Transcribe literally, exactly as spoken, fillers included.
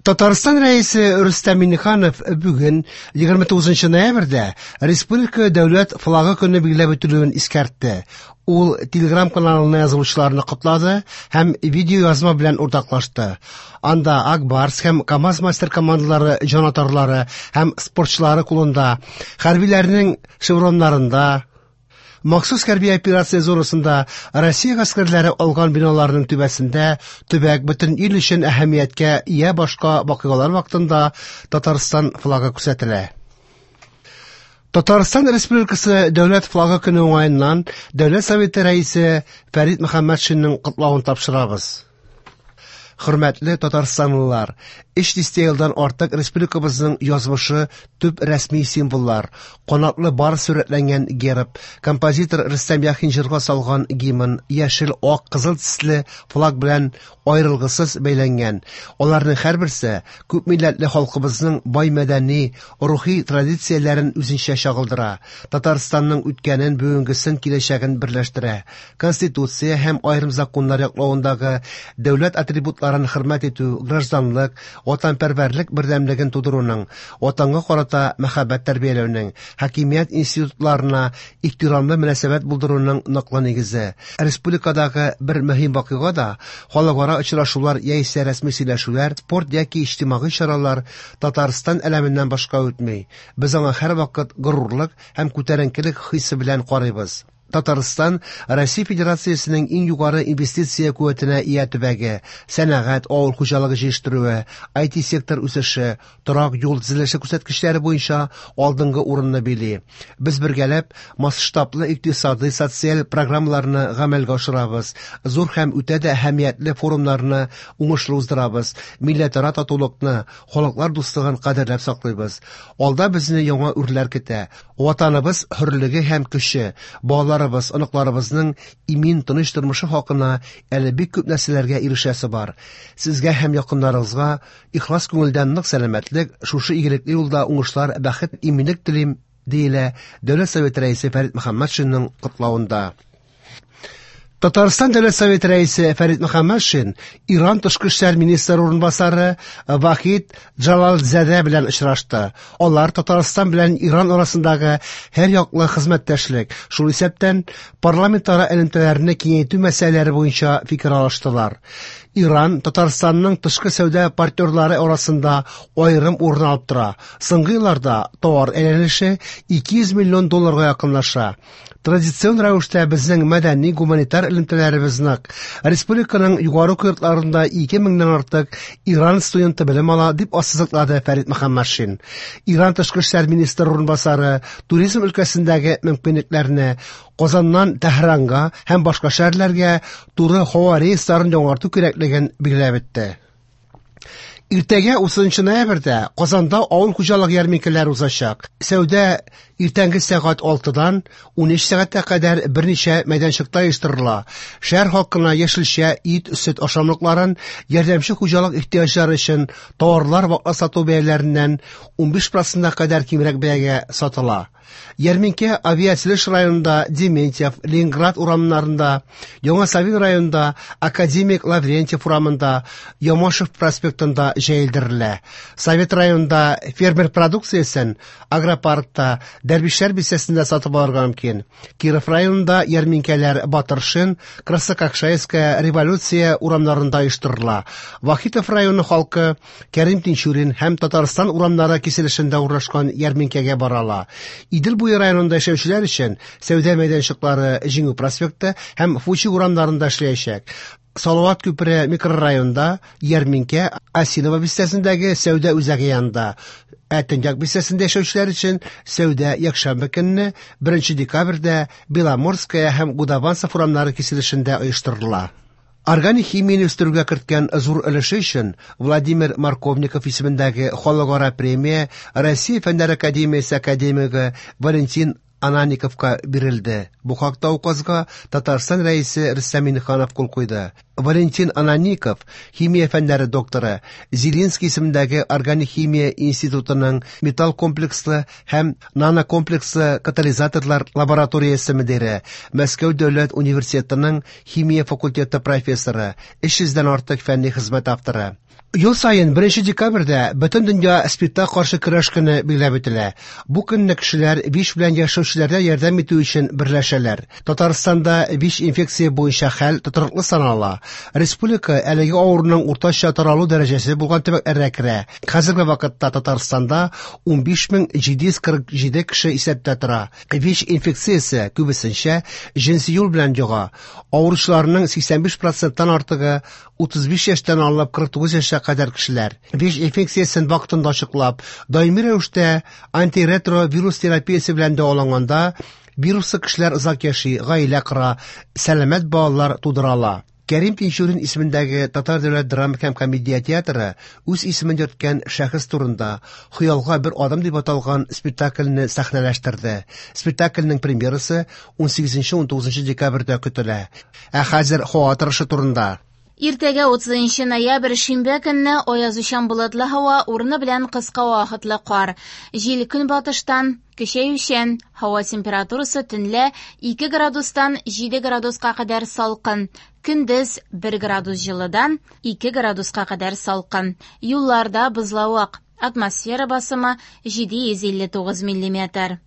Татарстан Рәисе Рөстәм Миңнеханов бүген егерме тугызынчы ноябрьдә Республика дәүләт флагы көне билгеләп үтелүен искәртте. Ул Телеграм каналына язылучыларны котлады һәм видеоязма белән уртаклашты. Анда Ак Барс һәм КАМАЗ мастер командалары җанатарлары һәм спортчылары кулында, хәрбиләрнең шевроннарында, махсус хәрби операция зонасында Россия гаскәрләре алган биналарның түбәсендә төбәк бөтен ил өчен әһәмияткә ия башка вакыйгалар вакытында Татарстан флагы күрсәтелә. Татарстан Республикасы Дәүләт флагы көне уңаеннан Дәүләт Советы рәисе Фәрит Мөхәммәтшинның котлавын тапшырабыз. Хөрмәтле татарстанлылар, өч дистә елдан артык республикабызның язмышы төп рәсми символлар, канатлы барс сурәтләнгән герб, композитор Рөстәм Яхин җырга салган гимн, яшел, ак, кызыл төсле флаг белән аерылгысыз бәйләнгән. Аларның һәрберсе күп милләтле халкыбызның бай мәдәни, рухи традицияләрен үзенчә чагылдыра. Татарстанның үткәнен, бүгенгесен, киләчәген берләштерә. Конституция һәм аерым законнар яклавындагы дәүләт атрибутларын хөрмәт итү, гражданлык, ватанпәрвәрлек бердәмлеген тудыруның, ватанга карата мәхәббәт тәрбияләүнең, хакимият институтларына ихтирамлы мөнәсәбәт булдыруның ныклы нигезе. Республикадагы бер мөһим вакыйга да халыкара очрашулар яисә рәсми сөйләшүләр, спорт яки иҗтимагый чаралар Татарстан әләменнән башка үтми. Без аңа һәрвакыт горурлык һәм күтәренкелек хисе белән карыйбыз. Татарстан Россия Федерациясенең иң югары инвестиция куәтенә ия төбәге, сәнәгать, авыл хуҗалыгы җитештерүе, ай ти сектор үсеше, торак юл төзелеше күрсәткечләре буенча алдынгы урынны били. Без бергәләп масштаблы икътисадый социаль программаларны гамәлгә ашырабыз, зур һәм үтә дә әһәмиятле форумнарны уңышлы уздырабыз, милләтара татулыкны, халыклар дуслыгын кадерләп саклыйбыз. Алда безне яңа үрләр көтә. Ватаныбыз хөрлеге һәм көче, балаларыбыз, оныкларыбызның имин тыныч тормышы хакына әле бик күп нәрсәләргә ирешәсе бар. Сезгә һәм якыннарыгызга ихлас күңелдән нык сәламәтлек, шушы игелекле юлда уңышлар, бәхет, иминлек телим, диелә Дәүләт Советы рәисе Фәрит Мөхәммәтшинның котлавында. Татарстан Дәүләт Советы рәисе Фәрит Мөхәммәтшин Иран тышкы эшләр министры урынбасары Вахид Джалалзадә белән очрашты. Алар Татарстан белән Иран арасындагы һәр яклы хезмәттәшлек, шул исәптән парламентара элемтәләрне киңәйтү мәсьәләләре буенча фикер алыштылар. Иран Татарстанның тышкы сәүдә партнерлары арасында аерым урын алып тора. Соңгы елларда товар әйләнеше ике йөз миллион долларга якынлаша. Традицион рәвештә безнең мәдәни гуманитар элемтәләребез нык. Республиканың югары уку йортларында ике меңнән артык Иран студенты белем ала, дип ассызыклады Фәрит Мөхәммәтшин. Иран тышкы эшләр министры урынбасары туризм өлкәсендәге мөмкинлекләрне Казаннан Тәһранга һәм башка шәһәрләргә туры һава рейсларын яңарту кирәклеген билгеләп үтте. Иртәгә утызынчы ноябрьдә Казанда авыл хуҗалыгы ярминкәләре узачак. Сәүдә иртәнге сәгать алтыдан ун өч сәгатькә кадәр берничә мәйданчыкта оештырыла. Шәһәр халкына яшелчә, ит, сөт ашамлыкларын, ярдәмче хуҗалык ихтыяҗлары өчен товарлар ваклап сату бәяләреннән унбиш процентка кадәр кимрәк бәягә сатыла. Ярминкә Авиатөзелеш районында Дементьев, Ленинград урамнарында, Яңа Савин районында Академик Лаврентьев урамында, Ямашев проспектында җәелдерелә. Совет районында фермер продукциясен агропаркта, Дәрвишләр бистәсендә сатып алырга мөмкин. Киров районында ярминкәләр Батыршин, Краснококшайская, Революция урамнарында оештырыла. Вахитов районы халкы Кәрим Тинчурин һәм Татарстан урамнары киселешендә урнашкан ярминкәгә бара ала. Идел буе районында яшәүчеләр өчен сәүдә мәйданчыклары Җиңү проспекты һәм Фучик урамнарында эшләячәк. Салават күпере микрорайонында ярминкә Осиново бистәсендәге сәүдә үзәге янында. Ә Төньяк бистәсендә яшәүчеләр өчен сәүдә якшәмбе көнне беренче декабрьдә Беломорская һәм Гудованцев урамнары киселешендә оештырыла. Органик химияне үстерүгә керткән зур өлеше өчен Владимир Марковников исемендәге халыкара премия Россия Фәннәр академиясе академигы Валентин Ананиковка бирелде. Бу хакта указга Татарстан рәисе Рөстәм Миңнеханов кул куйды. Валентин Анаников, химия фәннәре докторы, Зелинский исемендәге органик химия институтының металл комплекслы һәм нанокомплекслы катализаторлар лабораториясе мөдире, Мәскәү дәүләт университетының химия факультеты профессоры, өч йөздән артык фәнни хезмәт авторы. Ел саен беренче декабрьдә бөтен дөнья спиртка каршы көрәш көне билгеләп үтелә. Бу көнне кешеләр ВИЧ белән яшәүчеләргә ярдәм итү өчен берләшәләр. Татарстанда ВИЧ инфекция буенча хәл тотрыклы санала. Республика әлеге авыруның уртача таралу дәрәҗәсе булган төбәкләргә керә. Хәзерге вакытта Татарстанда унбиш мең җиде йөз кырык җиде кеше исәптә тора. ВИЧ инфекциясе күбесенчә җенси юл белән йога. Авыручыларның сиксән биш проценттан артыгы утыз биш яшьтән алып кырык тугыз яшькә кадәр кешеләр. ВИЧ инфекциясен вакытында ачыклап, даими рәвештә антиретровирус терапиясе белән дәваланганда вируслы кешеләр озак яши, гаилә кора, сәламәт балалар тудыра ала. Кәрим Тинчурин исемендәге Татар дәүләт драма һәм комедия театры үз исемен йөрткән шәхес турында Хыялга бер адым дип аталган спектакльне сәхнәләштерде. Спектакльнең премьерасы ун сигезенче ун тугызынчы декабрьдә көтелә. Ә хәзер һава торышы турында. Иртәгә утызынчы ноябрь шимбә көнне аязучан болытлы һава, урыны белән кыска вакытлы кар. Җил көнбатыштан көчәючән, һава температурасы төнлә ике градустан җиде градуска кадәр салкын, көндез бер градус җылыдан ике градуска кадәр салкын. Юлларда бозлавык, атмосфера басымы җиде йөз илле тугыз миллиметр.